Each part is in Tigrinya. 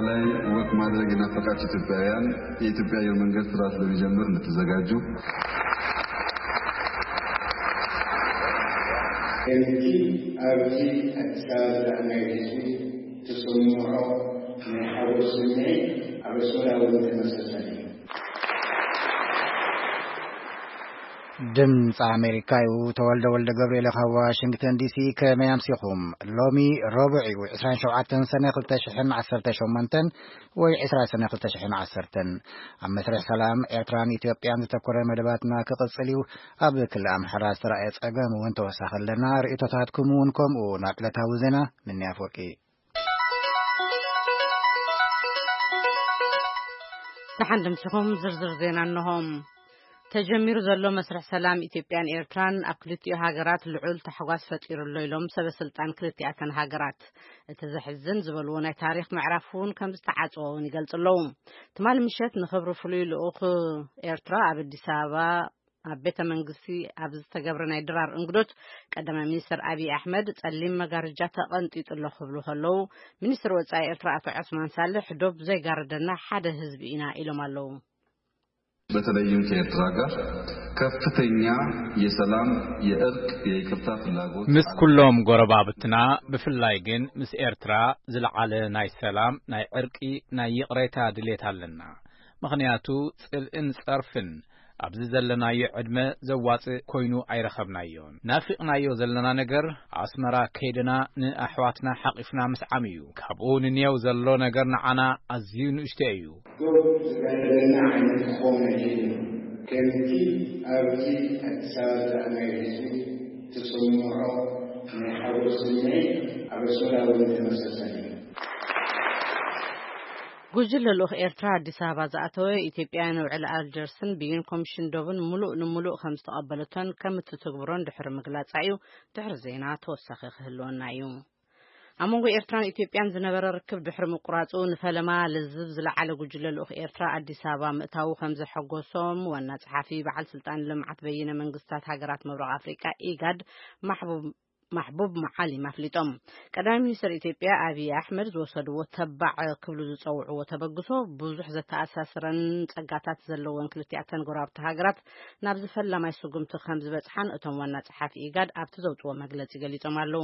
ላይ ወክ ማድረግ የናፈቃችሁ ኢትዮጵያውያን የኢትዮጵያ አየር መንገድ ስራ ስለሚጀምር እንድትዘጋጁ። ከምቲ ኣብዚ ኣዲስ ኣበባ ዘለናዮ ህዝቢ ትስምዖ ናይ ሓጎስ ስምዒት ኣብ ኣስመራ እውን ተመሳሳሊ እዩ። ድምፂ ኣሜሪካ እዩ። ተወልደ ወልደ ገብርኤል ካብ ዋሽንግተን ዲሲ። ከመይ ኣምሲኹም? ሎሚ ረቡዕ እዩ፣ ዕስራን ሸውዓተን ሰነ ክልተ ሽሕን ዓሰርተ ሸሞንተን ወይ ዕስራ ሰነ ክልተ ሽሕን ዓሰርተን። ኣብ መስርሕ ሰላም ኤርትራን ኢትዮጵያን ዝተኮረ መደባትና ክቕጽል እዩ። ኣብ ክልል ኣምሓራ ዝተራእየ ጸገም እውን ተወሳኺ ኣለና። ርእይቶታትኩም እውን ከምኡ። ናብ ዕለታዊ ዜና ምንያ ኣፍወርቂ። ደሓን ድምስኹም ዝርዝር ዜና እንሆ። ተጀሚሩ ዘሎ መስርሕ ሰላም ኢትዮጵያን ኤርትራን ኣብ ክልቲኡ ሃገራት ልዑል ታሕጓስ ፈጢሩ ኣሎ ኢሎም ሰበ ስልጣን ክልቲኣተን ሃገራት። እቲ ዘሕዝን ዝበልዎ ናይ ታሪኽ ምዕራፍ እውን ከም ዝተዓጽወ እውን ይገልጹ ኣለዉ። ትማሊ ምሸት ንኽብሪ ፍሉይ ልኡኽ ኤርትራ ኣብ ኣዲስ ኣበባ ኣብ ቤተ መንግስቲ ኣብ ዝተገብረ ናይ ድራር እንግዶት ቀዳማይ ሚኒስትር ኣብይ ኣሕመድ ጸሊም መጋረጃ ተቐንጢጡ ኣሎ ክብሉ ከለዉ፣ ሚኒስትር ወጻኢ ኤርትራ ኣቶ ዑስማን ሳልሕ ዶብ ዘይጋርደና ሓደ ህዝቢ ኢና ኢሎም ኣለዉ። በተለይም ከኤርትራ ጋር ከፍተኛ የሰላም፣ የእርቅ፣ የይቅርታ ፍላጎት ምስ ኩሎም ጎረባብትና፣ ብፍላይ ግን ምስ ኤርትራ ዝለዓለ ናይ ሰላም፣ ናይ ዕርቂ፣ ናይ ይቕሬታ ድሌት ኣለና። ምኽንያቱ ጽልእን ጸርፍን ኣብዚ ዘለናዮ ዕድመ ዘዋጽእ ኮይኑ ኣይረኸብናዮን። ናፊቕናዮ ዘለና ነገር ኣስመራ ከይድና ንኣሕዋትና ሓቒፍና ምስዓም እዩ። ካብኡ ንንየው ዘሎ ነገር ንዓና ኣዝዩ ንእሽቶ እዩ። ዶብ ዝጋደለና ዓይነት ክኸውን ኣይክእልን። ከምቲ ኣብዚ ኣዲስ ኣበባ ዘለናዮ ህዝቢ ትስምዖ ናይ ሓጎስ ስምዒት ኣብ ኣስመራ እውን ተመሳሳሊ እዩ። ጉጅለ ልኡኽ ኤርትራ ኣዲስ ኣበባ ዝኣተወ ኢትዮጵያ ንውዕል ኣልጀርስን ብይን ኮሚሽን ዶብን ምሉእ ንምሉእ ከም ዝተቐበለቶን ከም እትትግብሮን ድሕሪ ምግላጻ እዩ ድሕሪ ዜና ተወሳኺ ክህልወና እዩ። ኣብ መንጎ ኤርትራን ኢትዮጵያን ዝነበረ ርክብ ድሕሪ ምቁራጹ ንፈለማ ልዝብ ዝለዓለ ጉጅለ ልኡኽ ኤርትራ ኣዲስ ኣበባ ምእታዉ ከም ዘሐጎሶም ዋና ጸሓፊ በዓል ስልጣን ልምዓት በይነ መንግስታት ሃገራት ምብራቕ ኣፍሪቃ ኢጋድ ማሕቡብ ማሕቡብ መዓሊም ኣፍሊጦም። ቀዳማይ ሚኒስትር ኢትዮጵያ ኣብይ ኣሕመድ ዝወሰድዎ ተባዕ ክብሉ ዝጸውዕዎ ተበግሶ ብዙሕ ዘተኣሳስረን ጸጋታት ዘለወን ክልቲኣተን ጎረባብቲ ሃገራት ናብ ዝፈላማይ ስጉምቲ ከም ዝበጽሓን እቶም ዋና ጸሓፊ ኢጋድ ኣብቲ ዘውጽዎ መግለጺ ገሊጾም ኣለዉ።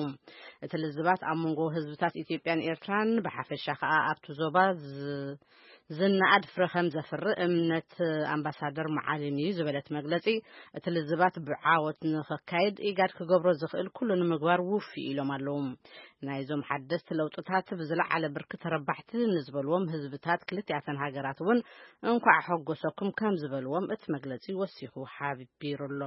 እቲ ልዝባት ኣብ መንጎ ህዝብታት ኢትዮጵያን ኤርትራን ብሓፈሻ ከኣ ኣብቲ ዞባ ዝ- ዝነኣድ ፍረ ከም ዘፍሪ እምነት ኣምባሳደር መዓሊም እዩ ዝበለት መግለጺ፣ እቲ ልዝባት ብዓወት ንኸካየድ ኢጋድ ክገብሮ ዝኽእል ኩሉ ንምግባር ውፉይ ኢሎም ኣለዉ። ናይዞም ሓደስቲ ለውጥታት ብዝለዓለ ብርኪ ተረባሕቲ ንዝበልዎም ህዝብታት ክልቲኣተን ሃገራት እውን እንኳዕ ሓጎሰኩም ከም ዝበልዎም እቲ መግለጺ ወሲኹ ሓቢሩ ኣሎ።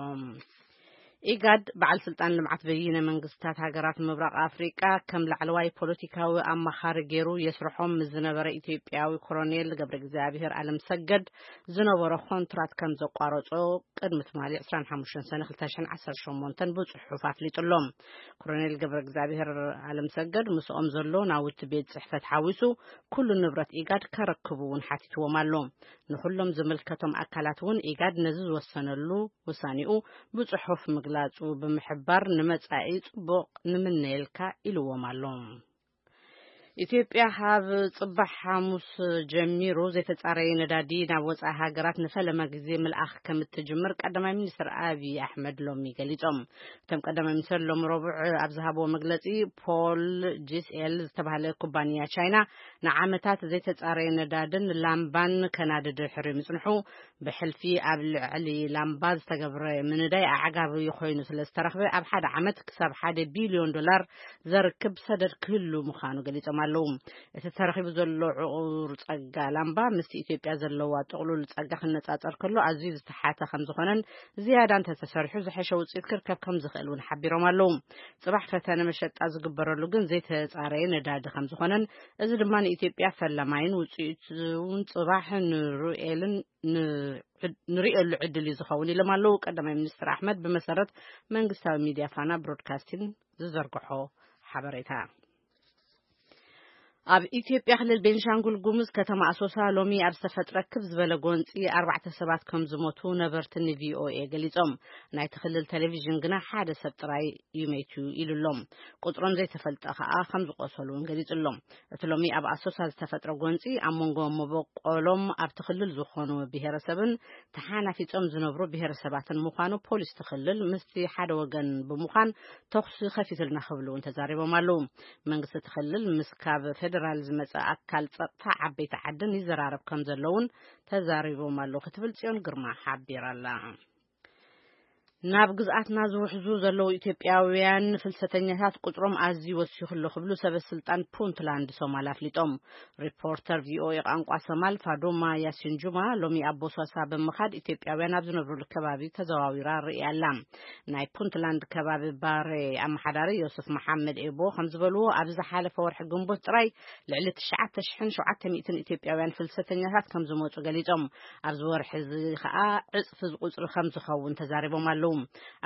ኢጋድ በዓል ስልጣን ልምዓት በይነ መንግስታት ሃገራት ምብራቕ ኣፍሪቃ ከም ላዕለዋይ ፖለቲካዊ ኣማኻሪ ገይሩ የስርሖም ምስ ዝነበረ ኢትዮጵያዊ ኮሎኔል ገብረ እግዚኣብሔር ኣለም ሰገድ ዝነበሮ ኮንትራት ከም ዘቋረጾ ቅድሚ ትማሊ ዕስራን ሓሙሽተን ሰነ ክልተ ሽሕን ዓሰርተ ሸሞንተን ብጽሑፍ ኣፍሊጡ ኣሎ። ኮሎኔል ገብረ እግዚኣብሔር ኣለም ሰገድ ምስኦም ዘሎ ናውቲ ቤት ጽሕፈት ሓዊሱ ኩሉ ንብረት ኢጋድ ከረክቡ እውን ሓቲትዎም ኣሎ። ንኹሎም ዝምልከቶም ኣካላት እውን ኢጋድ ነዚ ዝወሰነሉ ውሳኔኡ ብጽሑፍ ምግላጹ ብምሕባር ንመጻኢ ጽቡቕ ንምነየልካ ኢልዎም ኣሎ። ኢትዮጵያ ካብ ጽባሕ ሓሙስ ጀሚሩ ዘይተጻረየ ነዳዲ ናብ ወጻኢ ሃገራት ንፈለማ ግዜ ምልኣኽ ከም እትጅምር ቀዳማይ ሚኒስትር ኣብይ ኣሕመድ ሎሚ ገሊጾም። እቶም ቀዳማይ ሚኒስትር ሎሚ ረቡዕ ኣብ ዝሃብዎ መግለጺ ፖል ጂስኤል ዝተባህለ ኩባንያ ቻይና ንዓመታት ዘይተጻረየ ነዳድን ላምባን ከናዲ ድሕሪ ምጽንሑ ብሕልፊ ኣብ ልዕሊ ላምባ ዝተገብረ ምንዳይ ኣዕጋቢ ኮይኑ ስለ ዝተረኽበ ኣብ ሓደ ዓመት ክሳብ ሓደ ቢልዮን ዶላር ዘርክብ ሰደድ ክህሉ ምዃኑ ገሊጾም ኣለዉ። እቲ ተረኺቡ ዘሎ ዕቑር ጸጋ ላምባ ምስቲ ኢትዮጵያ ዘለዋ ጥቕሉል ጸጋ ክነጻጸር ከሎ ኣዝዩ ዝተሓተ ከም ዝኾነን ዝያዳ እንተተሰሪሑ ዝሐሸ ውጽኢት ክርከብ ከም ዝኽእል እውን ሓቢሮም ኣለዉ። ጽባሕ ፈተነ መሸጣ ዝግበረሉ ግን ዘይተጻረየ ነዳዲ ከም ዝኾነን እዚ ድማ ንኢትዮጵያ ፈላማይን ውጽኢት እውን ጽባሕ ንርኤልን ንርኤሉ ዕድል እዩ ዝኸውን ኢሎም ኣለዉ ቀዳማይ ሚኒስትር ኣሕመድ ብመሰረት መንግስታዊ ሚድያ ፋና ብሮድካስቲን ዝዘርግሖ ሓበሬታ። ኣብ ኢትዮጵያ ክልል ቤንሻንጉል ጉሙዝ ከተማ ኣሶሳ ሎሚ ኣብ ዝተፈጥረ ክብ ዝበለ ጎንፂ ኣርባዕተ ሰባት ከም ዝሞቱ ነበርቲ ንቪኦኤ ገሊጾም። ናይቲ ክልል ቴሌቪዥን ግና ሓደ ሰብ ጥራይ እዩ መይቱ ኢሉ ኣሎ። ቁጽሮም ዘይተፈልጠ ከኣ ከም ዝቆሰሉ እውን ገሊጹ ኣሎ። እቲ ሎሚ ኣብ ኣሶሳ ዝተፈጥረ ጎንፂ ኣብ መንጎ መበቆሎም ኣብቲ ክልል ዝኾኑ ብሄረሰብን ተሓናፊጾም ዝነብሩ ብሄረሰባትን ምዃኑ ፖሊስ እቲ ክልል ምስቲ ሓደ ወገን ብምዃን ተኹሲ ከፊቱልና ክብሉ እውን ተዛሪቦም ኣለዉ። መንግስቲ እቲ ክልል ምስ ካብ ፌደራል ዝመጸ ኣካል ጸጥታ ዓበይቲ ዓድን ይዘራረብ ከም ዘለውን ተዛሪቦም ኣለዉ ክትብል ጽዮን ግርማ ሓቢራ ኣላ። ናብ ግዝኣትና ዝውሕዙ ዘለዉ ኢትዮጵያውያን ፍልሰተኛታት ቁጽሮም ኣዝዩ ወሲኹ ኣሎ ክብሉ ሰበ ስልጣን ፑንትላንድ ሶማል ኣፍሊጦም። ሪፖርተር ቪኦኤ ቋንቋ ሶማል ፋዶማ ያሲን ጁማ ሎሚ ኣብ ቦሳሳ ብምኻድ ኢትዮጵያውያን ኣብ ዝነብሩሉ ከባቢ ተዘዋዊራ ርእያ ኣላ። ናይ ፑንትላንድ ከባቢ ባሬ ኣመሓዳሪ ዮሱፍ መሓመድ ኤቦ ከም ዝበልዎ፣ ኣብ ዝሓለፈ ወርሒ ግንቦት ጥራይ ልዕሊ ትሽዓተ ሽሕን ሸውዓተ ሚእትን ኢትዮጵያውያን ፍልሰተኛታት ከም ዝመጹ ገሊጾም። ኣብዚ ወርሒ እዚ ከኣ ዕጽፊ ቁጽሪ ከም ዝኸውን ተዛሪቦም ኣለዉ።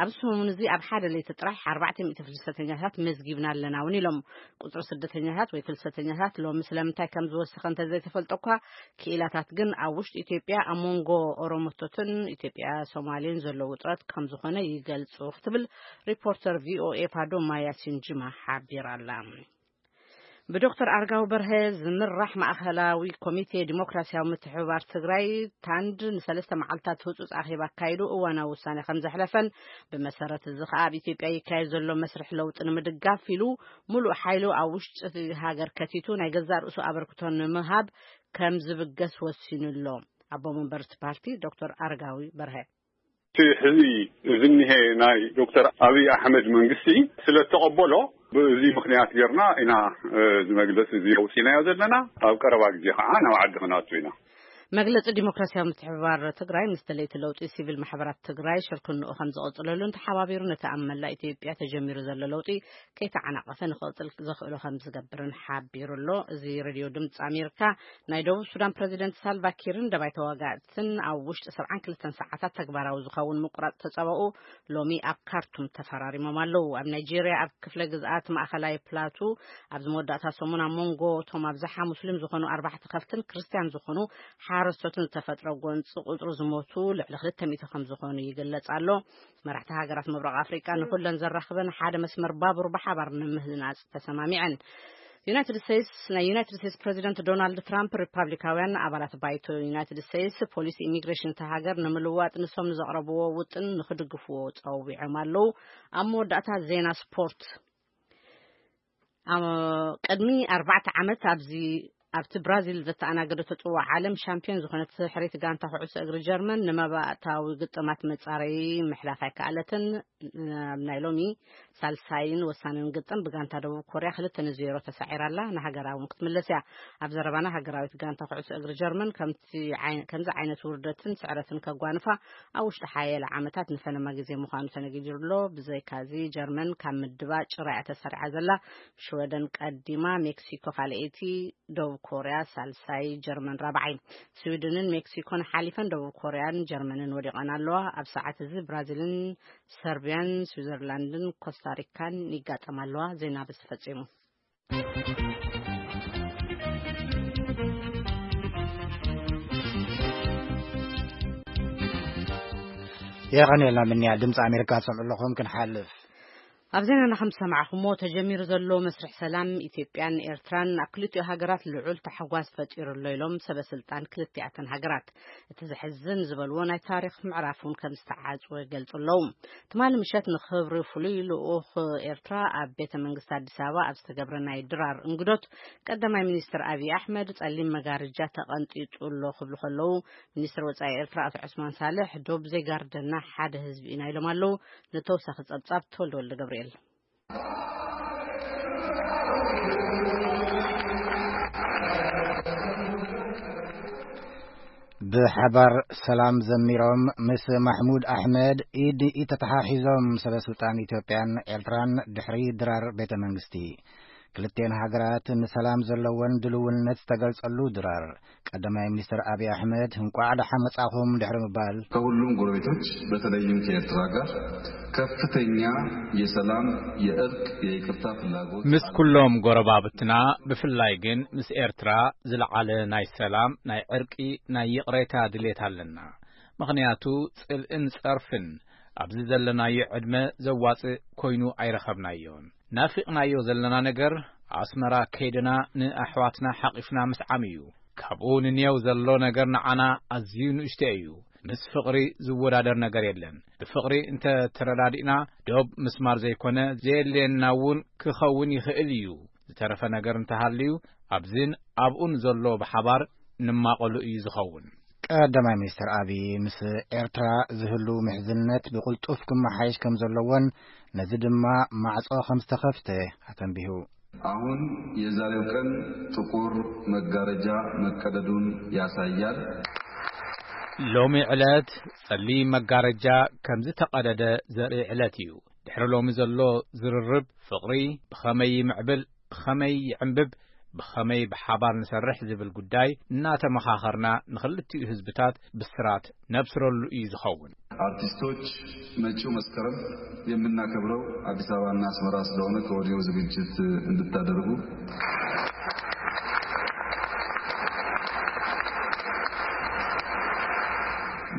ኣብዚ ሰሙን እዚ ኣብ ሓደ ለይቲ ጥራሕ ኣርባዕተ ሚእቲ ፍልሰተኛታት መዝጊብና ኣለና እውን ኢሎም። ቁጽሪ ስደተኛታት ወይ ፍልሰተኛታት ሎሚ ስለምንታይ ከም ዝወሰኸ እንተዘይተፈልጠ እኳ፣ ክኢላታት ግን ኣብ ውሽጢ ኢትዮጵያ ኣብ መንጎ ኦሮሞቶትን ኢትዮጵያ ሶማሌን ዘሎ ውጥረት ከም ዝኾነ ይገልጹ ክትብል ሪፖርተር ቪኦኤ ፋዶማ ያሲን ጅማ ሓቢራ ኣላ። ብዶክተር ኣርጋው በርሀ ዝምራሕ ማእኸላዊ ኮሚቴ ዲሞክራሲያዊ ምትሕብባር ትግራይ፣ ታንድ፣ ንሰለስተ መዓልታት ህጹጽ ኣኼባ ኣካይዱ እዋናዊ ውሳኔ ከም ዘሕለፈን፣ ብመሰረት እዚ ኸኣ ኣብ ኢትዮጵያ ይካየድ ዘሎ መስርሕ ለውጢ ንምድጋፍ ኢሉ፣ ምሉእ ሓይሉ ኣብ ውሽጢ እቲ ሃገር ከቲቱ ናይ ገዛእ ርእሱ ኣበርክቶ ንምሃብ ከም ዝብገስ ወሲኑ ኣሎ። ኣቦ መንበር እቲ ፓርቲ ዶክተር ኣረጋዊ በርሀ። እቲ ሕዚ ዝኒሀ ናይ ዶክተር ኣብይ ኣሕመድ መንግስቲ ስለ እተቐበሎ፣ ብእዚ ምኽንያት ጌርና ኢና፣ እ፣ እዚ መግለጺ እዚ ኣውፂናዮ ዘለና። ኣብ ቀረባ ግዜ ከዓ ናብ ዓዲ ክነኣቱ ኢና። መግለጺ ዲሞክራሲያዊ ምትሕብባር ትግራይ ምስ ደለይቲ ለውጢ ሲቪል ማሕበራት ትግራይ ሽርክንኡ ከም ዝቕጽለሉን ተሓባቢሩ ነቲ ኣብ መላእ ኢትዮጵያ ተጀሚሩ ዘሎ ለውጢ ከይተዓናቐፈ ንኽቕጽል ዘኽእሎ ከም ዝገብርን ሓቢሩ ኣሎ። እዚ ሬድዮ ድምፂ ኣሜሪካ። ናይ ደቡብ ሱዳን ፕረዚደንት ሳልቫ ኪርን ደባይ ተዋጋእትን ኣብ ውሽጢ ሰብዓን ክልተን ሰዓታት ተግባራዊ ዝኸውን ምቁራጽ ተጻብኦ ሎሚ ኣብ ካርቱም ተፈራሪሞም ኣለዉ። ኣብ ናይጄርያ ኣብ ክፍለ ግዝኣት ማእኸላይ ፕላቱ ኣብዚ መወዳእታ ሰሙን ኣብ መንጎ እቶም ኣብዝሓ ሙስሊም ዝኾኑ ኣርባዕተ ከፍትን ክርስትያን ዝኾኑ ሓረስቶትን ዝተፈጥረ ጎንፂ ቁፅሪ ዝሞቱ ልዕሊ ክልተ ሚእቲ ከም ዝኾኑ ይግለጽ ኣሎ። መራሕቲ ሃገራት ምብራቕ ኣፍሪቃ ንኹለን ዘራኽበን ሓደ መስመር ባቡር ብሓባር ንምህናጽ ተሰማሚዐን። ዩናይትድ ስቴትስ፣ ናይ ዩናይትድ ስቴትስ ፕረዚደንት ዶናልድ ትራምፕ ሪፓብሊካውያን ኣባላት ባይቶ ዩናይትድ ስቴትስ ፖሊሲ ኢሚግሬሽን እታ ሃገር ንምልዋጥ ንሶም ንዘቕረብዎ ውጥን ንኽድግፍዎ ጸዊዖም ኣለዉ። ኣብ መወዳእታ ዜና ስፖርት። ኣብ ቅድሚ ኣርባዕተ ዓመት ኣብዚ ኣብቲ ብራዚል ዘተኣናገደቶ ጽዋዕ ዓለም ሻምፒዮን ዝኾነት ሕርይቲ ጋንታ ኩዕሶ እግሪ ጀርመን ንመባእታዊ ግጥማት መጻረዪ ምሕላፍ ኣይከኣለትን። ኣብ ናይ ሎሚ ሳልሳይን ወሳንን ግጥም ብጋንታ ደቡብ ኮርያ ክልተ ንዜሮ ተሳዒራ ኣላ። ንሃገራ እውን ክትምለስ እያ። ኣብ ዘረባና ሃገራዊት ጋንታ ኩዕሶ እግሪ ጀርመን ከምቲ ዓይ-፣ ከምዚ ዓይነት ውርደትን ስዕረትን ከጓንፋ ኣብ ውሽጢ ሓያለ ዓመታት ንፈለማ ግዜ ምዃኑ ተነጊሩ ኣሎ። ብዘይካዚ ጀርመን ካብ ምድባ ጭራ እያ ተሰሪዓ ዘላ። ሽወደን ቀዲማ፣ ሜክሲኮ ካልኣይቲ፣ ደቡብ ኮርያ ሳልሳይ፣ ጀርመን ራብዓይ። ስዊድንን ሜክሲኮን ሓሊፈን ደቡብ ኮርያን ጀርመንን ወዲቐን ኣለዋ። ኣብ ሰዓት እዚ ብራዚልን ሰርቢያን፣ ስዊዘርላንድን ኮስታሪካን ይጋጠማ ኣለዋ። ዜና በዚ ተፈጺሙ። የቐንየልና ምንያ ድምፂ ኣሜሪካ ትሰምዑ ኣለኹም። ክንሓልፍ ኣብ ዜናና ከም ዝሰማዕኹሞ፣ ተጀሚሩ ዘሎ መስርሕ ሰላም ኢትዮጵያን ኤርትራን ኣብ ክልቲኡ ሃገራት ልዑል ታሕጓስ ፈጢሩ ኣሎ ኢሎም ሰበ ስልጣን ክልቲኣተን ሃገራት። እቲ ዘሕዝን ዝበልዎ ናይ ታሪኽ ምዕራፍ እውን ከም ዝተዓጽወ ይገልጹ ኣለዉ። ትማሊ ምሸት ንኽብሪ ፍሉይ ልኡኽ ኤርትራ ኣብ ቤተ መንግስቲ ኣዲስ ኣበባ ኣብ ዝተገብረ ናይ ድራር እንግዶት፣ ቀዳማይ ሚኒስትር ኣብይ ኣሕመድ ጸሊም መጋረጃ ተቐንጢጡ ኣሎ ክብሉ ከለዉ፣ ሚኒስትር ወጻኢ ኤርትራ ኣቶ ዑስማን ሳልሕ፣ ዶብ ዘይጋርደና ሓደ ህዝቢ ኢና ኢሎም ኣለዉ። ንተወሳኺ ጸብጻብ ተወልደ ወልደ ገብርኤል። ብሓባር ሰላም ዘሚሮም ምስ ማሕሙድ ኣሕመድ ኢድ ኢድ ተተሓሒዞም ሰበ ስልጣን ኢትዮጵያን ኤርትራን ድሕሪ ድራር ቤተ መንግስቲ። ክልቴን ሃገራት ንሰላም ዘለወን ድልውነት ዝተገልጸሉ ድራር፣ ቀዳማይ ሚኒስትር ኣብይ ኣሕመድ እንቋዕ ደሓን መጻኹም ድሕሪ ምባል፣ ከሁሉም ጎረቤቶች በተለይም ከኤርትራ ጋር ከፍተኛ የሰላም፣ የእርቅ፣ የይቅርታ ፍላጎት ምስ ኩሎም ጎረባብትና፣ ብፍላይ ግን ምስ ኤርትራ ዝለዓለ ናይ ሰላም፣ ናይ ዕርቂ፣ ናይ ይቕሬታ ድሌት ኣለና። ምኽንያቱ ጽልእን ጸርፍን ኣብዚ ዘለናዮ ዕድመ ዘዋጽእ ኮይኑ ኣይረኸብናዮን። ናፊቕናዮ ዘለና ነገር ኣስመራ ከይድና ንኣሕዋትና ሓቒፍና ምስዓም እዩ። ካብኡ ንኔው ዘሎ ነገር ንዓና ኣዝዩ ንእሽቶ እዩ። ምስ ፍቕሪ ዝወዳደር ነገር የለን። ብፍቕሪ እንተ ተረዳዲእና ዶብ ምስማር ዘይኮነ ዘየድልየና እውን ክኸውን ይኽእል እዩ። ዝተረፈ ነገር እንተሃልዩ ኣብዝን ኣብኡን ዘሎ ብሓባር ንማቐሉ እዩ ዝኸውን። ቀዳማይ ሚኒስትር ኣብይ ምስ ኤርትራ ዝህሉ ምሕዝነት ብቕልጡፍ ክመሓየሽ ከም ዘለዎን ነዚ ድማ ማዕጾ ከም ዝተኸፍተ ኣተንቢሁ። አሁን የዛሬው ቀን ጥቁር መጋረጃ መቀደዱን ያሳያል። ሎሚ ዕለት ጸሊም መጋረጃ ከም ዝተቐደደ ዘርኢ ዕለት እዩ። ድሕሪ ሎሚ ዘሎ ዝርርብ ፍቕሪ ብኸመይ ይምዕብል፣ ብኸመይ ይዕንብብ፣ ብኸመይ ብሓባር ንሰርሕ ዝብል ጉዳይ እናተመኻኸርና ንኽልቲኡ ህዝብታት ብስራት ነብስረሉ እዩ ዝኸውን። አርቲስቶች፣ መጪው መስከረም የምናከብረው አዲስ አበባና አስመራ ስለሆነ ከወዲሁ ዝግጅት እንድታደርጉ።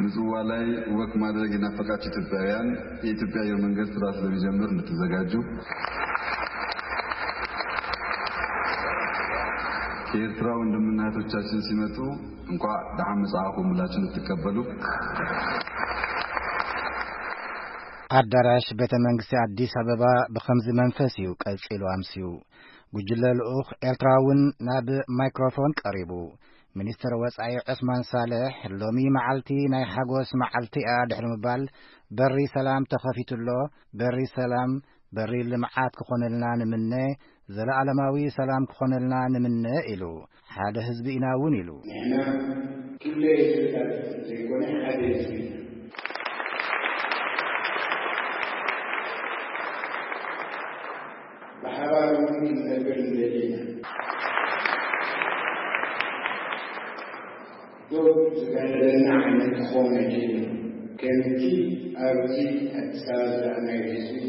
ምጽዋ ላይ ወክ ማድረግ የናፈቃችሁ ኢትዮጵያውያን የኢትዮጵያ አየር መንገድ ስራ ስለሚጀምር እንድትዘጋጁ። የኤርትራ ወንድምና እህቶቻችን ሲመጡ እንኳ ደሓን መጻእኩም ብላችሁ እንድትቀበሉ። ኣዳራሽ ቤተ መንግስቲ ኣዲስ ኣበባ ብኸምዚ መንፈስ እዩ ቀጺሉ ኣምስዩ። ጉጅለ ልኡኽ ኤርትራ እውን ናብ ማይክሮፎን ቀሪቡ። ሚኒስትር ወጻኢ ዑስማን ሳልሕ፣ ሎሚ መዓልቲ ናይ ሓጎስ መዓልቲ እያ ድሕሪ ምባል፣ በሪ ሰላም ተኸፊቱ ኣሎ፣ በሪ ሰላም በሪ ልምዓት ክኾነልና ንምነ፣ ዘለዓለማዊ ሰላም ክኾነልና ንምነ ኢሉ። ሓደ ህዝቢ ኢና እውን ኢሉ። ንሕና ክልተ ህዝብታት ዘይኮነ ሓደ ህዝቢ ኢና። ብሓባር እውን ክንነብር ንደሊ ኢና። ዶብ ዝጋደለና ዓይነት ክኸውን ኣይክእልን። ከምቲ ኣብዚ ኣዲስ ኣበባ ዝረኣናዮ ህዝቢ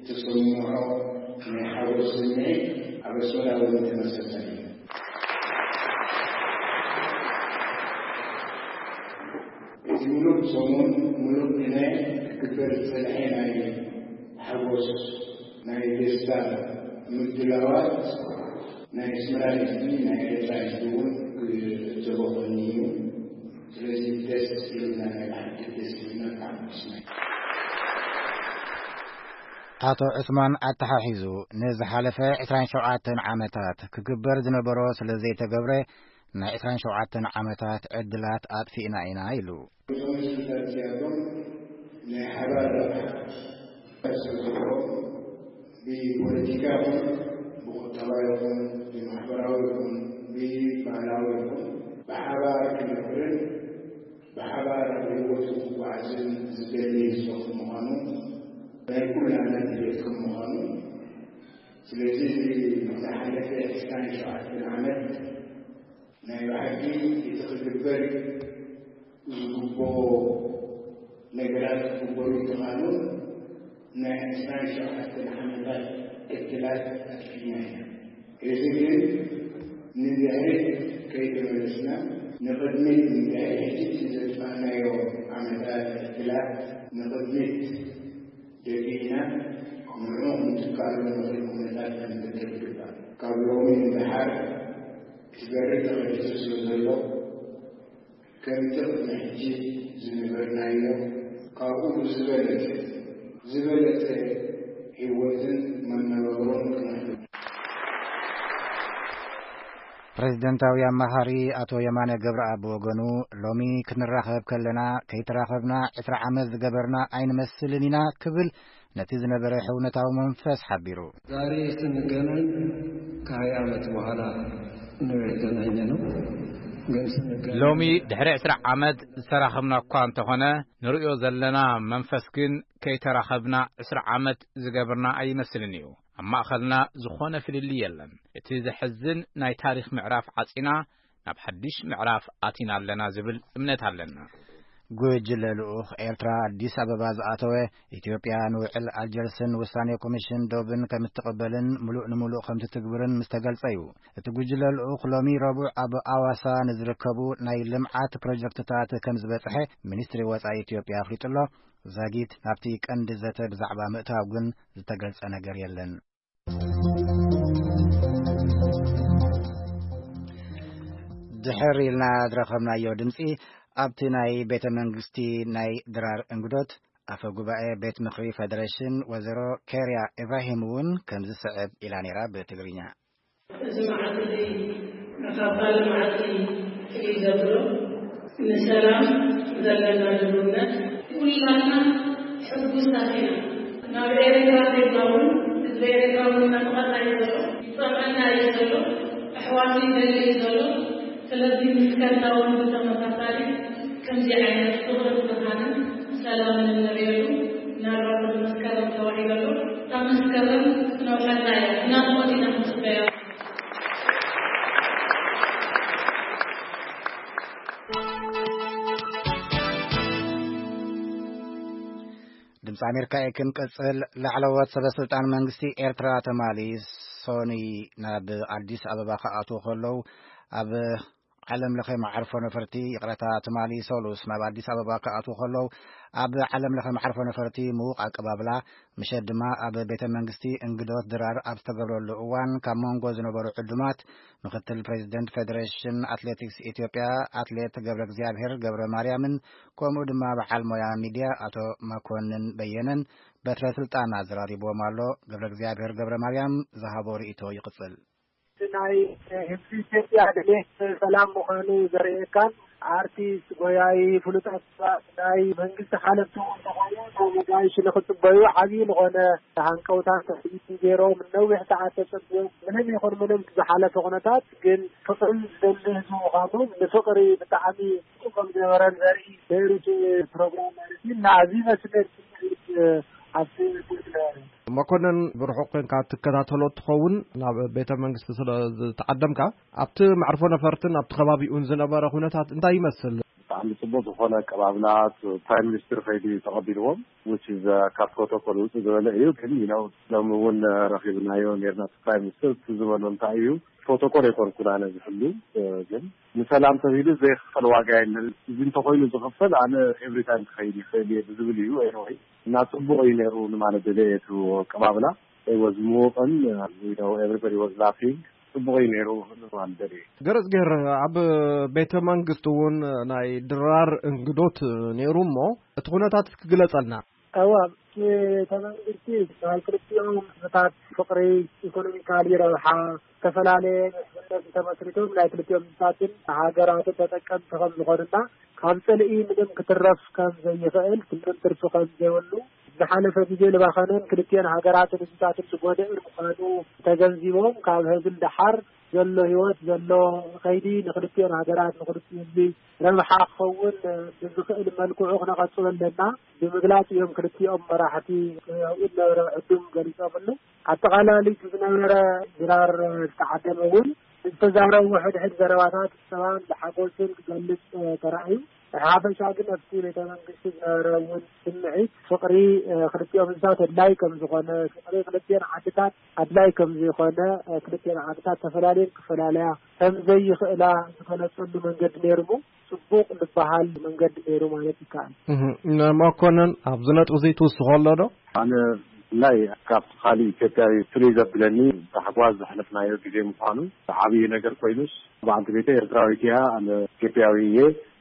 ተሰምዖ ናይ ሓጎስ ስምዒት ኣብ ኣስመራ እውን ተመሳሳሊ እዩ። እቲ ምሉእ ሰሙን ምሉእ ግናይ ክግበር ዝጸንሐ ናይ ሓጎስ ናይ ደስታ ምድላዋት ናይ ኣስመራ ህዝቢ ናይ ኤርትራ ህዝቢ እውን ክዕዘቦ ኮይኑ እዩ። ስለዚ ደስ ኢሉና ናይ ብሓቂ ደስ ኢሉና ብጣዕሚ ደስ ኢሉና። ኣቶ ዑስማን ኣተሓሒዙ፣ ንዝሓለፈ ዕስራን ሸውዓተን ዓመታት ክግበር ዝነበሮ ስለ ዘይተገብረ ናይ ዕስራን ሸውዓተን ዓመታት ዕድላት ኣጥፊእና ኢና ኢሉ። እዞም ህዝብታት እዚኣቶም ናይ ሓባር ረብሓ ዝገብሮም ብፖለቲካ ይኹን ብቁጠባ ይኹን ብማሕበራዊ ይኹን ብባህላዊ ይኹን ብሓባር ክነብርን ብሓባር ኣብ ህይወቱ ክጓዓዝን ዝደሊ ህዝቢ ከም ምዃኑ ናይ ኩላና ድሌት ከም ምዃኑ፣ ስለዚ እዚ ዝሓለፈ ዕስራን ሸውዓተን ዓመት ናይ ብሓቂ እቲ ክግበር ዝግብኦ ነገራት ክግበሩ እንተኻኑ ናይ ዕስራን ሸውዓተን ዓመታት ዕድላት ኣጥፊእና ኢና። እዚ ግን ንድሕሪት ከይተመለስና ንቕድሚት ንድሕሪ ሕጂ ዘጥፋእናዮ ዓመታት ዕድላት ንቕድሚት ደፊእና ንዕኡ ክንትክኣሉ ንኽእል ኩነታት ክንፈጥር ይግባእ። ካብ ሎሚ ንደሓር እቲ በሪ ተኸፊቱ ስለ ዘሎ ከምቲ ቅድሚ ሕጂ ዝነበርናዮ ካብኡ ብዝበለጸ ዝበለጸ ህይወትን መነባብሮን ክነሕልፍ። ፕሬዝደንታዊ ኣማኻሪ ኣቶ የማነ ገብረኣብ ብወገኑ፣ ሎሚ ክንራኸብ ከለና ከይተራኸብና ዕስራ ዓመት ዝገበርና ኣይንመስልን ኢና ክብል ነቲ ዝነበረ ሕውነታዊ መንፈስ ሓቢሩ። ዛሬ ስንገናኝ ከሃያ ዓመት በኋላ ነው የተገናኘነው። ግን ስንገናኝ ሎሚ ድሕሪ ዕስራ ዓመት ዝተራኸብና እኳ እንተኾነ፣ ንርእዮ ዘለና መንፈስ ግን ከይተራኸብና ዕስራ ዓመት ዝገበርና ኣይመስልን እዩ። ኣብ ማእኸልና ዝኾነ ፍልልይ የለን። እቲ ዘሕዝን፣ ናይ ታሪኽ ምዕራፍ ዓጺና ናብ ሓድሽ ምዕራፍ ኣቲና ኣለና ዝብል እምነት ኣለና። ጉጅለ ልኡኽ ኤርትራ ኣዲስ ኣበባ ዝኣተወ፣ ኢትዮጵያ ንውዕል ኣልጀርስን ውሳኔ ኮሚሽን ዶብን ከምትቕበልን ምሉእ ንምሉእ ከምትትግብርን ምስ ተገልጸ እዩ። እቲ ጉጅለ ልኡኽ ሎሚ ረቡዕ ኣብ ኣዋሳ ንዝርከቡ ናይ ልምዓት ፕሮጀክትታት ከም ዝበጽሐ ሚኒስትሪ ወጻኢ ኢትዮጵያ ኣፍሊጡ ኣሎ። ዛጊት ናብቲ ቀንዲ ዘተ ብዛዕባ ምእታው ግን ዝተገልጸ ነገር የለን። ድሕር ኢልና ዝረኸብናዮ ድምጺ፣ ኣብቲ ናይ ቤተ መንግስቲ ናይ ድራር እንግዶት፣ ኣፈ ጉባኤ ቤት ምኽሪ ፌደሬሽን ወይዘሮ ኬርያ ኢብራሂም እውን ከምዚ ስዕብ ኢላ ነይራ ብትግርኛ። እዚ መዓልቲ እዚ፣ ካብታ መዓልቲ ፍልይ ዘብሎ፣ ንሰላም ዘለና ድልውነት፣ ኩላትና ሕጉሳት ኢና። ናብ ኤርትራ ዜጋ እውን፣ ህዝቢ ኤርትራ እውን ናፍቐና እዩ ዘሎ፣ ይጸምኣና እዩ ዘሎ፣ ኣሕዋቱ ይደሊ እዩ ዘሎ። ስለዚ ምስ ከርታ እውን ብተመሳሳሊ ከምዚ ዓይነት ፍቕርን ብርሃንን ሰላምን እንርእየሉ ናብራ መስከረም ተባሂሉ ኣሎ። እታ መስከረም ክትነውሐልና እያ። ብናፍቖት ኢና ክንጽበያ። ድምፂ ኣሜሪካ እዩ ክንቅፅል። ላዕለዎት ሰበስልጣን መንግስቲ ኤርትራ ትማሊ ሶኒ ናብ ኣዲስ ኣበባ ክኣትዉ ከለዉ፣ ኣብ ዓለም ለኸ መዓርፎ ነፈርቲ፣ ይቕረታ፣ ትማሊ ሰሉስ ናብ ኣዲስ ኣበባ ክኣትዉ ከለዉ፣ ኣብ ዓለም ለኸ መዓርፎ ነፈርቲ ምዉቕ ኣቀባብላ፣ ምሸት ድማ ኣብ ቤተ መንግስቲ እንግዶት ድራር ኣብ ዝተገብረሉ እዋን፣ ካብ መንጎ ዝነበሩ ዕዱማት፣ ምክትል ፕሬዚደንት ፌደሬሽን ኣትሌቲክስ ኢትዮጵያ ኣትሌት ገብረ እግዚኣብሔር ገብረ ማርያምን፣ ከምኡ ድማ በዓል ሞያ ሚድያ ኣቶ መኮንን በየነን በትረ ስልጣን ኣዘራሪብዎም ኣሎ። ገብረ እግዚኣብሔር ገብረ ማርያም ዝሃቦ ርእይቶ ይቕጽል። ናይ ህዝቢ ኢትዮጵያ ድሌት ሰላም ምዃኑ ዘርእየካን፣ ኣርቲስት፣ ጎያዪ፣ ፍሉጣት ሰባት፣ ናይ መንግስቲ ሓለፍቲ እውን እንተኾኑ፣ ነጋይሽ ንኽጽበዩ ዓብዪ ዝኾነ ሃንቀውታን ትጽቢትን ገይሮም፣ ነዊሕ ሰዓት ተጸብዮም፣ ምንም ይኹን ምንም ዝሓለፈ ኩነታት ግን ፍቕሪ ዝደሊ ህዝቢ ምዃኑ፣ ንፍቕሪ ብጣዕሚ ጽቡቕ ከም ዝነበረን ዘርኢ ነይሩ እቲ ፕሮግራም ማለት እዩ። እና ኣብዚ መስመር ስምዒት ኣብቲ ስምዒት ነበረ። መኮነን፣ ብርሑቕ ኮንካ ትከታተሎ ትኸውን፣ ናብ ቤተ መንግስቲ ስለ ዝተዓደምካ፣ ኣብቲ መዕርፎ ነፈርትን ኣብቲ ከባቢኡን ዝነበረ ኩነታት እንታይ ይመስል? ብጣዕሚ ጽቡቕ ዝኾነ ኣቀባብላ፣ ፕራይም ሚኒስትር ከይዱ ተቐቢልዎም፣ which is፣ uh፣ ካብ ፕሮቶኮል ውጽእ ዝበለ እዩ። ግን፣ you know፣ ሎሚ እውን ረኺብናዮ ነርና። ፕራይም ሚኒስትር እቲ ዝበሎ እንታይ እዩ፣ ፕሮቶኮል ኣይኮንኩን ኣነ ዝሕሉ፣ ግን ንሰላም ተባሂሉ ዘይክፈል ዋጋ የለን። እዚ እንተኾይኑ ዝኽፈል፣ ኣነ ኤቭሪ ታይም ክኸይድ ይኽእል እየ ብዝብል እዩ። ኤኒወይ፣ እና ጽቡቕ እዩ ነይሩ ንማለት ደልየ እቲ ኣቀባብላ። It was ምዉቕን፣ you know, everybody was laughing። ጽቡቕ እዩ ነይሩ ንማለት ደልየ። ገረጽ ገይር፣ ኣብ ቤተ መንግስቲ እውን ናይ ድራር እንግዶት ነይሩ እሞ፣ እቲ ኩነታት እስኪ ግለጸልና። እዋ፣ እቲ ቤተ መንግስቲ ናይ ክልቲኦም ህዝብታት ፍቕሪ፣ ኢኮኖሚካሊ ረብሓ፣ ዝተፈላለየ ምሕዝነት ተመስሪቶም ናይ ክልቲኦም ህዝብታትን ሃገራትን ተጠቀምቲ ከም ዝኾኑና፣ ካብ ጽልኢ ምንም ክትረፍ ከም ዘይኽእል፣ ምንም ትርፊ ከም ዘይብሉ፣ ዝሓለፈ ግዜ ዝባኸነን ክልቲኦን ሃገራትን ህዝብታትን ዝጎድእን ምዃኑ ተገንዚቦም፣ ካብ ሐዚ ንደሓር ዘሎ ህይወት ዘሎ ከይዲ ንክልቲኦን ሃገራት ንክልቲኡ ህዝቢ ረብሓ ክኸውን ብዝኽእል መልክዑ ክነቐጽሎ ኣለና ብምግላጽ እዮም ክልቲኦም መራሕቲ ኣብኡ ዝነበረ ዕዱም ገሊጾምሉ። ኣጠቓላሊ እቲ ዝነበረ ድራር ዝተዓደመ እውን ዝተዛረቡ ሕድሕድ ዘረባታት ሰላም ብሓጎስን ክገልጽ ተራእዩ። ብሓፈሻ ግን ኣብቲ ቤተ መንግስቲ ዝነበረ እውን ስምዒት ፍቕሪ ክልቲኦም ህዝብታት ኣድላይ ከም ዝኾነ፣ ፍቕሪ ክልቲኦን ዓድታት ኣድላይ ከም ዝኾነ፣ ክልቲኦን ዓድታት ተፈላለየን ክፈላለያ ከም ዘይኽእላ ዝገለጸሉ መንገዲ ነይሩ እሞ፣ ጽቡቕ ዝበሃል መንገዲ ነይሩ ማለት ይከኣል። እህ፣ መኮነን፣ ኣብዚ ነጥቢ እዚ ትውስኾ ኣሎ ዶ? ኣነ ብፍላይ ካብቲ ካልእ ኢትዮጵያዊ ፍልይ ዘብለኒ፣ ታሕጓስ ዘሕለፍናዮ ግዜ ምዃኑ ዓብዪ ነገር ኮይኑስ፣ በዓልቲ ቤተይ ኤርትራዊት እያ፣ ኣነ ኢትዮጵያዊ እየ።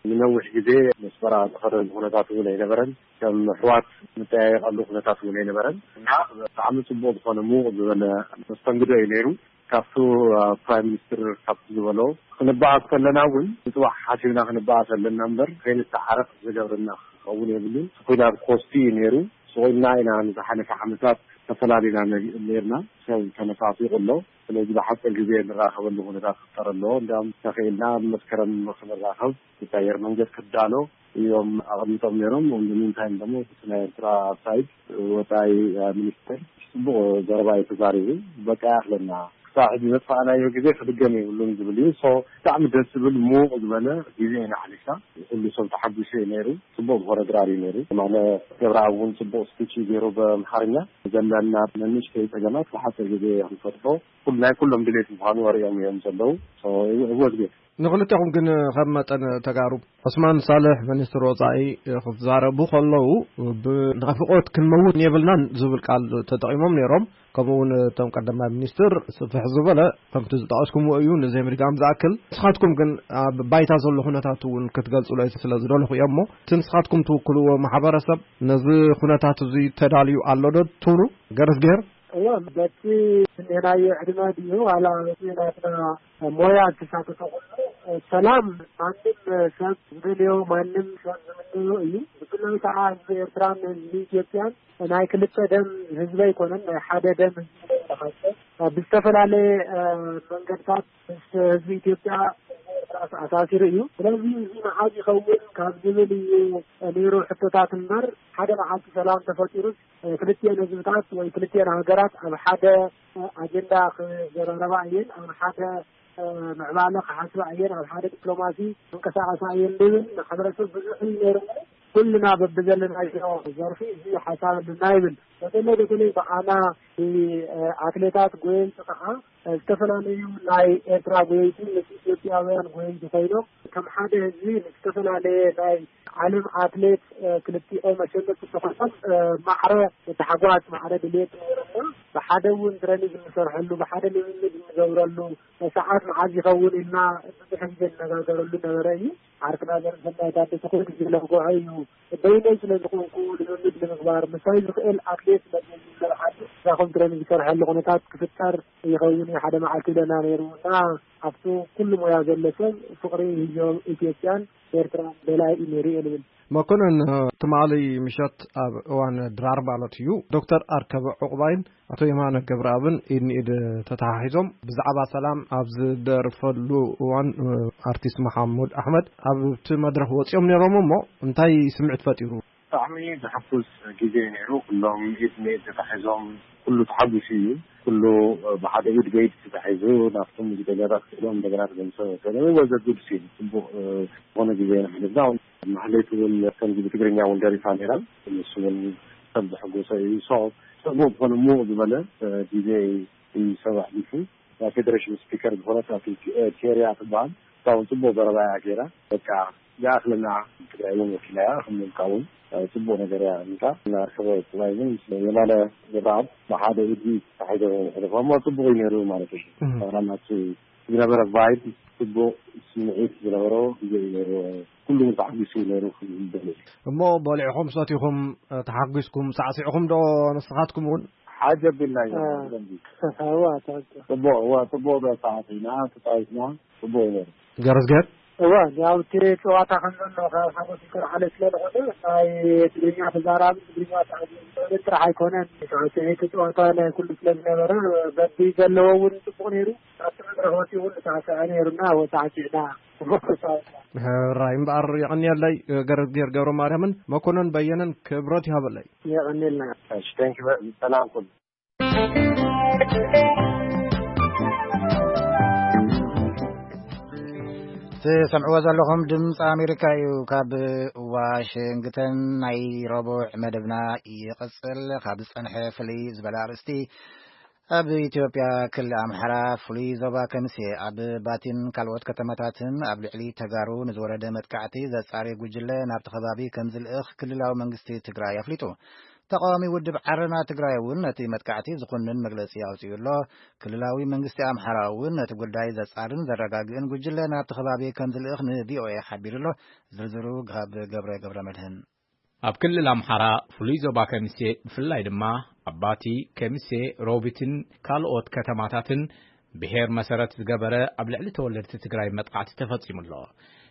ንነዊሕ ግዜ መስመራ ዝኸደሉ ኩነታት እውን ኣይነበረን። ከም ኣሕዋት ንጠያየቐሉ ኩነታት እውን ኣይነበረን። እና ብጣዕሚ ጽቡቕ ዝኾነ ምዉቕ ዝበለ መስተንግዶ እዩ ነይሩ። ካብቱ፣ አ፣ ፕራይም ሚኒስትር ካብቲ ዝበሎ፣ ክንበኣስ ከለና እውን ንጽባሕ ሓሲብና ክንበኣስ ኣለና እምበር፣ ከይንተዓረቕ ዝገብረና ክኸውን የብሉን። እቲ ኲናት ኮስቲ እዩ ነይሩ። ስቕ ኢልና ኢና ንዝሓለፈ ዓመታት ተፈላሊና ነ-፣ ነይርና። ሰብ ተነፋፊቑ ኣሎ። ስለዚ ብሓፂር ግዜ ንራኸበሉ ኩነታት ክፍጠር ኣለዎ። እንዲያውም ተኽኢልና ኣብ መስከረም ክንራኸብ፣ እቲ ኣየር መንገድ ክዳሎ እዮም ኣቐሚጦም ነይሮም። On the meantime ደግሞ እቲ ናይ ኤርትራ ሳይድ፣ ወፃኢ ሚኒስቴር ጽቡቕ ዘረባ እዩ ተዛሪቡ። በቃ ይኣኽለና፣ ክሳብ ሕጂ ዘጥፋእናዮ ግዜ ክድገም የብሉን ዝብል እዩ። ሶ ብጣዕሚ ደስ ዝብል፣ ምዉቕ ዝበለ ግዜ ኢና ኣሕሊፍና። ኩሉ ሰብ ተሓጒሱ እዩ ነይሩ። ጽቡቕ ዝኾነ ድራር እዩ ነይሩ። ማነ ገብረኣብ እውን ጽቡቕ ስፒች እዩ ገይሩ ብኣምሓርኛ። ዘለና ንንእሽተይ ጸገማት ብሓጺር ግዜ ክንፈትሖ ኩል-፣ ናይ ኩሎም ድሌት ምዃኑ ኣርእዮም እዮም ዘለዉ። ሶ፣ it was good። ንኽልቴኹም ግን ከም መጠን ተጋሩ፣ ዑስማን ሳልሕ ሚኒስትር ወጻኢ ክትዛረቡ ከለዉ፣ ብ-፣ ናፍቖት ክንመውት የብልናን ዝብል ቃል ተጠቒሞም ነይሮም። ከምኡ እውን እቶም ቀዳማይ ሚኒስትር ስፍሕ ዝበለ ከምቲ ዝጠቐስኩምዎ እዩ፣ ንዘይምድጋም ዝኣክል። ንስኻትኩም ግን ኣብ ባይታ ዘሎ ኩነታት እውን ክትገልጹለይ ስለ ዝደለኹ እዮም። እሞ እቲ ንስኻትኩም ትውክልዎ ማሕበረሰብ ነዚ ኩነታት እዚ ተዳልዩ ኣሎ ዶ ትብሉ? ገረዝጌር? እዋ፣ በቲ እኔናዮ ዕድመ ድዩ ዋላ በቲ ናትና ሞያ ዝተሳተፈ ኩሉ፣ ሰላም ማንም ሰብ ዝደልዮ፣ ማንም ሰብ ዝምነዮ እዩ። ብፍላይ ከዓ ህዝቢ ኤርትራን ህዝቢ ኢትዮጵያን ናይ ክልተ ደም ህዝቢ ኣይኮነን፣ ናይ ሓደ ደም ህዝቢ እዩ። ብዝተፈላለየ መንገድታት ምስ ህዝቢ ኢትዮጵያ ኣሳሲሩ እዩ። ስለዚ እዚ መዓዝ ይኸውን ካብ ዝብል እዩ ነይሩ ሕቶታት እምበር፣ ሓደ መዓልቲ ሰላም ተፈጢሩስ ክልቲኤን ህዝብታት ወይ ክልቲኤን ሃገራት ኣብ ሓደ ኣጀንዳ ክዘራረባ እየን፣ ኣብ ሓደ ምዕባለ ክሓስባ እየን፣ ኣብ ሓደ ዲፕሎማሲ ክንቀሳቐሳ እየን ዝብል ማሕበረሰብ ብዙሕ እዩ ነይሩ። ኩልና በብዘለናዮ ዘርፊ እዚ ሓሳብ ኣለና ይብል። በተለይ በተለይ ብኣና ኣትሌታት ጎየይቲ ከዓ ዝተፈላለዩ ናይ ኤርትራ ጎየይቲ ምስ ኢትዮጵያውያን ጎየይቲ ኮይኖም ከም ሓደ ህዝቢ ንዝተፈላለየ ናይ ዓለም ኣትሌት ክልቲኦም ኣሸነፍቲ ኮይኖም ማዕረ ታሕጓስ ማዕረ ድልየት ነይሮምና። ብሓደ እውን ትረኒንግ እንሰርሐሉ፣ ብሓደ ልምምድ እንገብረሉ ሰዓት መዓዝ ይኸውን ኢልና ብዙሕ ግዜ እንነጋገረሉ ነበረ እዩ። ዓርክና ዘርሰናይ ታደሰ ኩሉ ግዜ ለምጎዐ እዩ። በይነይ ስለ ዝኾንኩ ልምምድ ንምግባር ምሳይ ዝኽእል ኣትሌት ስለ ዘየለ ዓዲ እዛ ኮንትረን ዝሰርሐሉ ኩነታት ክፍጠር ይኸውን እዩ ሓደ መዓልቲ ኢለና ነይሩ እና ኣብቲ ኩሉ ሞያ ዘሎ ሰብ ፍቕሪ ህዝቦም ኢትዮጵያን ኤርትራን በላይ እዩ ነይሩ እየ ልብል። መኮንን፣ ትማሊ ምሸት ኣብ እዋን ድራር ማለት እዩ፣ ዶክተር ኣርከበ ዑቕባይን ኣቶ የማነ ገብረኣብን ኢድ ንኢድ ተተሓሒዞም ብዛዕባ ሰላም ኣብ ዝደርፈሉ እዋን፣ ኣርቲስት መሓሙድ ኣሕመድ ኣብቲ መድረኽ ወፂኦም ነይሮም። እሞ እንታይ ስምዒት ፈጢሩ? ብጣዕሚ ዘሐጉስ ግዜ እዩ ነይሩ። ኩሎም ኢድ ንኢድ ተታሒዞም፣ ኩሉ ተሓጒሱ እዩ። ኩሉ ብሓደ ኢድ በኢድ ተታሒዙ ናብቶም ዝደለራት ክኢሎም እንደገና ተመልሶ ወሰደ። ወዘ ጉድ ሲል ጽቡቕ ዝኾነ ግዜ ኢና ሕሊፍና። ማህሌት እውን ከምዚ ብትግርኛ እውን ደሪፋ ነይራ። ንሱ እውን ሰብ ዘሐጎሰ እዩ። ሶ ጽቡቕ ዝኾነ ምዉቕ ዝበለ ግዜ እዩ ሰብ ኣሕሊፉ። ናይ ፌደሬሽን ስፒከር ዝኾነት ኣቲ ኬርያ ትበሃል። እሳ እውን ጽቡቕ ዘረባ እያ ገይራ። በቃ ይኣኽለና፣ ትግራይ እውን ወኪላ እያ። ከም ምልካ እውን ጽቡቕ ነገር እያ። እንታ እናርከበ ጽባይ እውን ምስ የማነ ገብረኣብ ብሓደ ኢድ ተታሒዞም እዮም የሕለፎም። እሞ ጽቡቕ እዩ ነይሩ ማለት እዩ። እህ። ናቱ ዝነበረ ቫይብ ጽቡቕ ስምዒት ዝነበሮ ግዜ እዩ ነይሩ። ኩሉ እውን ተሓጒሱ እዩ ነይሩ ክብል ይደሊ። እሞ በሊዕኹም ሰቲኹም፣ ተሓጒስኩም ሳዕሲዕኹም ዶ ንስኻትኩም እውን? ሓጀብ ኢልና ኢና። እ። ብደንቢ። እዋ፣ ትኽክል። ጽቡቕ፣ እዋ፣ ጽቡቕ ዶ ሰዓት ኢና፣ ተጻዊትና፣ ጽቡቕ እዩ ነይሩ። ገረዝገር? እዋ፣ ያው እቲ ጨዋታ ከም ዘሎ ካብ ሓጎስ ዝተላዕለ ስለ ዝኾነ፣ ናይ ትግርኛ ተዛራቢ ትግርኛ ተዓዚቡ ዝውዕል ጥራሕ ኣይኮነን። ሳዕስዒት ጨዋታ ናይ ኩሉ ስለ ዝነበረ፣ በቢ ዘለዎ እውን ጽቡቕ ነይሩ። ኣብቲ መድረኽ ወፂኡ እውን ተሳዕስዐ ነይሩና፣ ወሳዕሲዕና። ሕራይ እምበኣር የቐንየለይ ገረዝጌር ገብረ ማርያምን መኮነን በየነን ክብረት ይሃበለይ። የቐንየልና። እሺ፣ thank you። ሰላም ኩሉ። ትሰምዕዎ ዘለኹም ድምፂ ኣሜሪካ እዩ። ካብ ዋሽንግተን ናይ ረቡዕ መደብና ይቕፅል። ካብ ዝፀንሐ ፍልይ ዝበለ ኣርእስቲ፣ ኣብ ኢትዮጵያ ክልል ኣምሓራ ፍሉይ ዞባ ከሚሴ ኣብ ባቲን ካልኦት ከተማታትን ኣብ ልዕሊ ተጋሩ ንዝወረደ መጥቃዕቲ ዘጻሪ ጉጅለ ናብቲ ከባቢ ከም ዝልእኽ ክልላዊ መንግስቲ ትግራይ ኣፍሊጡ። ተቃዋሚ ውድብ ዓረና ትግራይ እውን ነቲ መጥቃዕቲ ዝኹንን መግለጺ ኣውጺኡ ኣሎ። ክልላዊ መንግስቲ ኣምሓራ እውን ነቲ ጉዳይ ዘጻርን ዘረጋግእን ጉጅለ ናብቲ ከባቢ ከም ዝልእኽ ን ቪ ኦ ኤ ሓቢሩ ኣሎ። ዝርዝሩ ካብ ገብረ ገብረ መድህን። ኣብ ክልል ኣምሓራ ፍሉይ ዞባ ከሚሴ ብፍላይ ድማ ኣብ ባቲ፣ ከሚሴ፣ ሮቢትን ካልኦት ከተማታትን ብሄር መሰረት ዝገበረ ኣብ ልዕሊ ተወለድቲ ትግራይ መጥቃዕቲ ተፈጺሙ ኣሎ።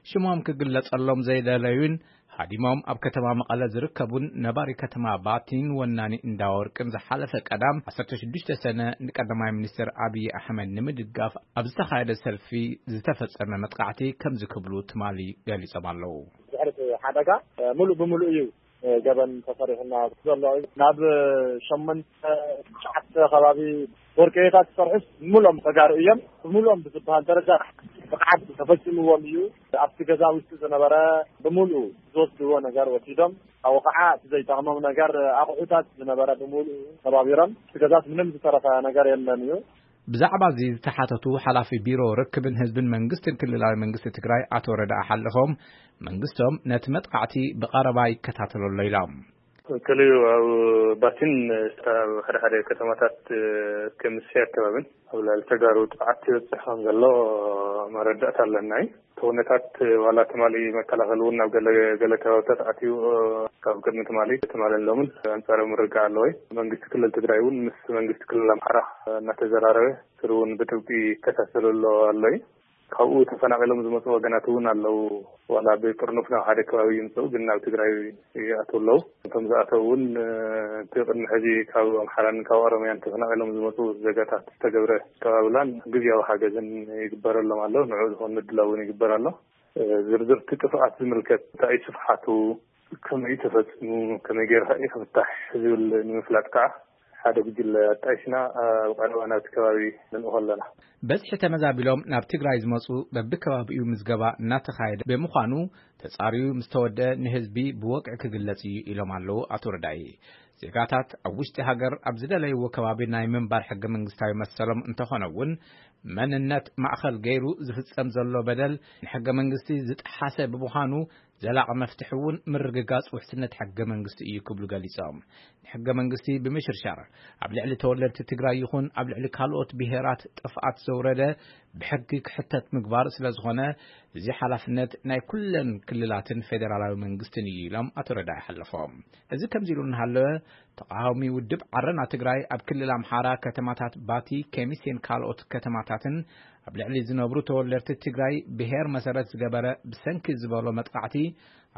ሽሞም ክግለጸሎም ዘይደለዩን ሃዲሞም ኣብ ከተማ መቐለ ዝርከቡን ነባሪ ከተማ ባቲን ወናኒ እንዳወርቅን ዝሓለፈ ቀዳም ዓሰርተ ሽዱሽተ ሰነ ንቀዳማይ ሚኒስትር ኣብይ ኣሕመድ ንምድጋፍ ኣብ ዝተኻየደ ሰልፊ ዝተፈጸመ መጥቃዕቲ ከምዚ ክብሉ ትማሊ ገሊጾም ኣለዉ። ድሕሪ እቲ ሓደጋ፣ እ፣ ሙሉእ ብሙሉእ እዩ ገበን ተሰሪሑና ዘሎ እዩ። ናብ ሸሞንተ ትሽዓተ ከባቢ ወርቅታት ዝሰርሑስ ብምልኦም ተጋሩ እዮም። ብምልኦም ብዝበሃል ደረጃ ብቕዓት ተፈፂምዎም እዩ። ኣብቲ ገዛ ውሽጢ ዝነበረ ብምልኡ ዝወስድዎ ነገር ወሲዶም፣ ኣብኡ ከዓ እቲ ዘይጠቕሞም ነገር ኣቑሑታት ዝነበረ ብምልኡ ተባቢሮም፣ እቲ ገዛስ ምንም ዝተረፈ ነገር የለን እዩ። ብዛዕባ እዚ ዝተሓተቱ ሓላፊ ቢሮ ርክብን ህዝብን መንግስትን ክልላዊ መንግስቲ ትግራይ ኣቶ ረዳኢ ሓለፎም፣ መንግስቶም ነቲ መጥቃዕቲ ብቐረባ ይከታተሎ ኣሎ ኢሎም። ክልዩ ኣብ ባቲን ኣብ ሓደ ሓደ ከተማታት ከምስያ ኣከባብን ኣብ ልዕሊ ተጋሩ ጥፍዓት ይበፅሕ ከም ዘሎ መረዳእታ ኣለና እዩ። እቲ ኩነታት ዋላ ትማሊ መከላኸሊ እውን ናብ ገለ ገለ ከባብታት ኣትዩ ካብ ቅድሚ ትማሊ ትማልን ሎምን ኣንፃራዊ ምርግጋእ ኣለዎ እዩ። መንግስቲ ክልል ትግራይ እውን ምስ መንግስቲ ክልል ኣምሓራ እናተዘራረበ ስሩ እውን ብጥብቂ ይከታተሉ ኣሎ ኣሎ እዩ። ካብኡ ተፈናቒሎም ዝመፁ ወገናት እውን ኣለዉ። ዋላ ብጥርኑፍ ናብ ሓደ ከባቢ ይምፅኡ ግን ናብ ትግራይ ይኣትዉ ኣለዉ። እቶም ዝኣተዉ እውን እቲ ቅድሚ ሕዚ ካብ ኣምሓራን ካብ ኦሮምያን ተፈናቒሎም ዝመፁ ዜጋታት ዝተገብረ ኣቀባብላን ግዝያዊ ሓገዝን ይግበረሎም ኣሎ። ንዑ ዝኾን ምድላው እውን ይግበር ኣሎ። ዝርዝርቲ ጥፍኣት ዝምልከት እንታይ እዩ ስፍሓቱ፣ ከመይ ተፈፂሙ፣ ከመይ ገይርካ እዩ ክፍታሕ ዝብል ንምፍላጥ ከዓ ሓደ ጉጅለ ኣጣይሽና ኣብ ቀረባ ናብቲ ከባቢ ንልእኾ ኣለና። በዝሒ ተመዛቢሎም ናብ ትግራይ ዝመፁ በብከባቢኡ ምዝገባ እናተኻየደ ብምዃኑ ተፃርዩ ምስ ተወደአ ንህዝቢ ብወግዒ ክግለፅ እዩ ኢሎም ኣለዉ ኣቶ ረዳኢ። ዜጋታት ኣብ ውሽጢ ሃገር ኣብ ዝደለይዎ ከባቢ ናይ ምንባር ሕገ መንግስታዊ መሰሎም እንተኾነ እውን መንነት ማእኸል ገይሩ ዝፍፀም ዘሎ በደል ንሕገ መንግስቲ ዝጠሓሰ ብምዃኑ ዘላቒ መፍትሒ እውን ምርግጋፅ ውሕስነት ሕገ መንግስቲ እዩ ክብሉ ገሊፆም። ንሕገ መንግስቲ ብምሽርሻር ኣብ ልዕሊ ተወለድቲ ትግራይ ይኹን ኣብ ልዕሊ ካልኦት ብሄራት ጥፍኣት ዘውረደ ብሕጊ ክሕተት ምግባር ስለ ዝኾነ እዚ ሓላፍነት ናይ ኩለን ክልላትን ፌዴራላዊ መንግስትን እዩ ኢሎም ኣቶ ረዳኢ ሓለፎም። እዚ ከምዚ ኢሉ እናሃለወ ተቃዋሚ ውድብ ዓረና ትግራይ ኣብ ክልል ኣምሓራ ከተማታት ባቲ፣ ከሚሴን ካልኦት ከተማታትን ኣብ ልዕሊ ዝነብሩ ተወለድቲ ትግራይ ብሄር መሰረት ዝገበረ ብሰንኪ ዝበሎ መጥቃዕቲ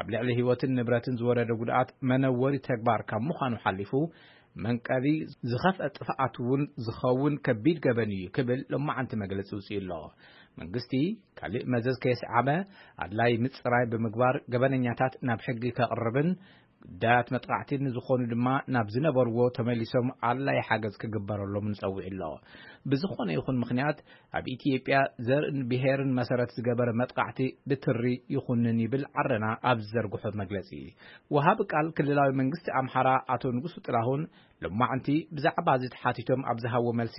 ኣብ ልዕሊ ህይወትን ንብረትን ዝወረደ ጉድኣት መነወሪ ተግባር ካብ ምዃኑ ሓሊፉ መንቀሊ ዝኸፍአ ጥፍኣት እውን ዝኸውን ከቢድ ገበን እዩ ክብል ሎማዓንቲ መግለፂ ውፅኡ ኣሎ። መንግስቲ ካሊእ መዘዝ ከየስዓበ ኣድላይ ምፅራይ ብምግባር ገበነኛታት ናብ ሕጊ ከቕርብን ጉዳያት መጥቃዕቲ ንዝኾኑ ድማ ናብ ዝነበርዎ ተመሊሶም ኣድላይ ሓገዝ ክግበረሎም ንፀውዕ ኣሎ። ብዝኾነ ይኹን ምኽንያት ኣብ ኢትዮጵያ ዘርእን ብሄርን መሰረት ዝገበረ መጥቃዕቲ ብትሪ ይኹንን ይብል ዓረና ኣብ ዝዘርግሖ መግለፂ። ወሃቢ ቃል ክልላዊ መንግስቲ ኣምሓራ ኣቶ ንጉሱ ጥላሁን ሎማዕንቲ ብዛዕባ እዚ ተሓቲቶም ኣብ ዝሃቦ መልሲ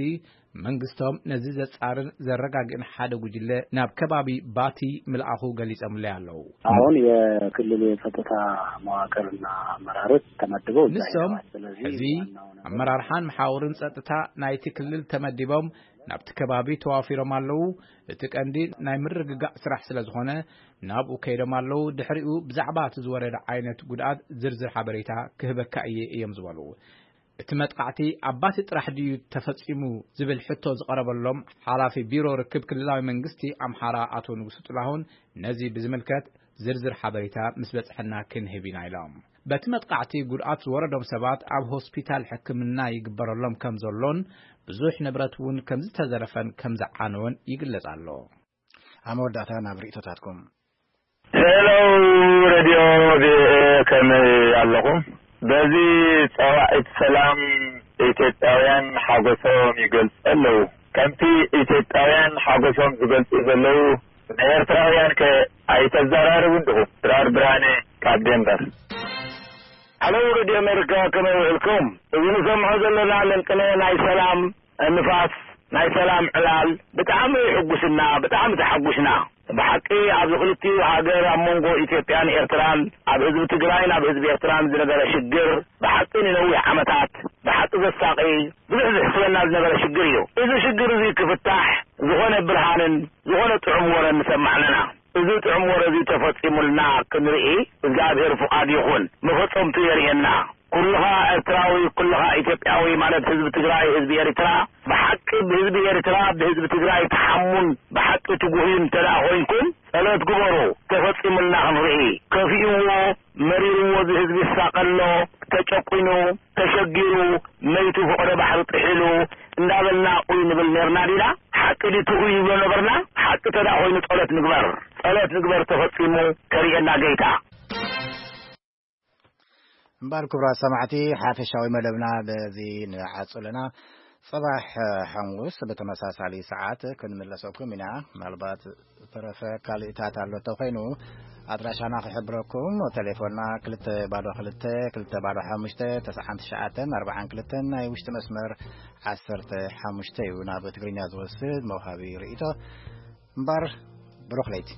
መንግስቶም ነዚ ዘጻርን ዘረጋግእን ሓደ ጉጅለ ናብ ከባቢ ባቲ ምልኣኹ ገሊጾምለይ ኣለዉ። አሁን የክልሉ የጸጥታ መዋቅርና አመራሮች ተመድበው እዛ ንሶም ሄደዋል። ስለዚህ እዚ ዋናው ነገር አመራርሓን መሓውርን ጸጥታ ናይቲ ክልል ተመዲቦም ናብቲ ከባቢ ተዋፊሮም ኣለዉ። እቲ ቀንዲ ናይ ምርግጋእ ስራሕ ስለ ዝኾነ ናብኡ ከይዶም ኣለዉ። ድሕሪኡ ብዛዕባ እቲ ዝወረደ ዓይነት ጉድኣት ዝርዝር ሓበሬታ ክህበካ እየ እዮም ዝበሉ። እቲ መጥቃዕቲ ኣብ ባቲ ጥራሕ ድዩ ተፈጺሙ ዝብል ሕቶ ዝቐረበሎም ሓላፊ ቢሮ ርክብ ክልላዊ መንግስቲ ኣምሓራ ኣቶ ንጉሱ ጥላሁን ነዚ ብዝምልከት ዝርዝር ሓበሬታ ምስ በጽሐና ክንህብ ኢና ኢሎም። በቲ መጥቃዕቲ ጉድኣት ዝወረዶም ሰባት ኣብ ሆስፒታል ሕክምና ይግበረሎም ከም ዘሎን ብዙሕ ንብረት እውን ከም ዝተዘረፈን ከም ዝዓነወን ይግለጽ ኣሎ። ኣብ መወዳእታ ናብ ርእይቶታትኩም። ሄሎ ሬድዮ ቪኦኤ ከመይ ኣለኹም? በዚ ጸዋዒት ሰላም ኢትዮጵያውያን ሓጎሶም ይገልጹ ኣለዉ። ከምቲ ኢትዮጵያውያን ሓጎሶም ዝገልጹ ዘለዉ ንኤርትራውያን ከ ኣይተዘራርቡን ዲኹም? ድራር ብርሃነ ካብ ዴንቨር። ሄሎ ሬድዮ ኣሜሪካ ከመይ ውዕልኩም? እዚ ንሰምዖ ዘለና ለንቅነ ናይ ሰላም ንፋስ ናይ ሰላም ዕላል ብጣዕሚ የሕጉስና፣ ብጣዕሚ ተሓጉስና። ብሓቂ ኣብዚ ክልቲኡ ሃገር ኣብ መንጎ ኢትዮጵያን ኤርትራን ኣብ ህዝቢ ትግራይን ኣብ ህዝቢ ኤርትራን ዝነበረ ሽግር ብሓቂ ንነዊሕ ዓመታት ብሓቂ ዘሳቂ ብዙሕ ዝሕስበና ዝነበረ ሽግር እዩ። እዚ ሽግር እዚ ክፍታሕ ዝኾነ ብርሃንን ዝኾነ ጥዑም ወረን ንሰማዕ ኣለና። እዚ ጥዑም ወረ እዚ ተፈጺሙልና ክንርኢ እግዚኣብሔር ፍቓድ ይኹን። መፈጸምቱ የርእየና። ኩልኻ ኤርትራዊ፣ ኩልኻ ኢትዮጵያዊ ማለት ህዝቢ ትግራይ፣ ህዝቢ ኤርትራ፣ ብሓቂ ብህዝቢ ኤርትራ፣ ብህዝቢ ትግራይ ተሓሙን ብሓቂ ትጉህዩን እንተ ደኣ ኮይንኩም፣ ጸሎት ግበሩ። ተፈጺሙልና ክንርኢ። ከፊእዎ፣ መሪርዎ፣ እዚ ህዝቢ ይሳቐ ኣሎ፣ ተጨቁኑ፣ ተሸጊሩ፣ መይቱ፣ ፈቐዶ ባሕሪ ጥሒሉ፣ እንዳበልና ኡይ ንብል ኔርና ዲና? ሓቂ ድዩ ትኡ ይብሎ ነበርና? ሓቂ እንተ ደኣ ኮይኑ ጸሎት ንግበር። ጸሎት ንግበር፣ ተፈጺሙ፣ ከርእየና ጌታ። እምበኣር ክቡራት ሰማዕቲ፣ ሓፈሻዊ መደብና በዚ ንዓጹ ኣለና። ጽባሕ ሓሙስ ብተመሳሳሊ ሰዓት ክንምለሰኩም ኢና። ምናልባት ዝተረፈ ካልእታት ኣሎ ተኾይኑ፣ ኣድራሻና ክሕብረኩም። ቴሌፎንና ክልተ ባዶ ክልተ፣ ክልተ ባዶ ሓሙሽተ፣ ተስዓን ትሽዓተን ኣርባዓን ክልተን፣ ናይ ውሽጢ መስመር ዓሰርተ ሓሙሽተ እዩ። ናብ ትግርኛ ዝወስድ መውሃቢ ርእይቶ። እምበኣር ብሩኽ ለይቲ።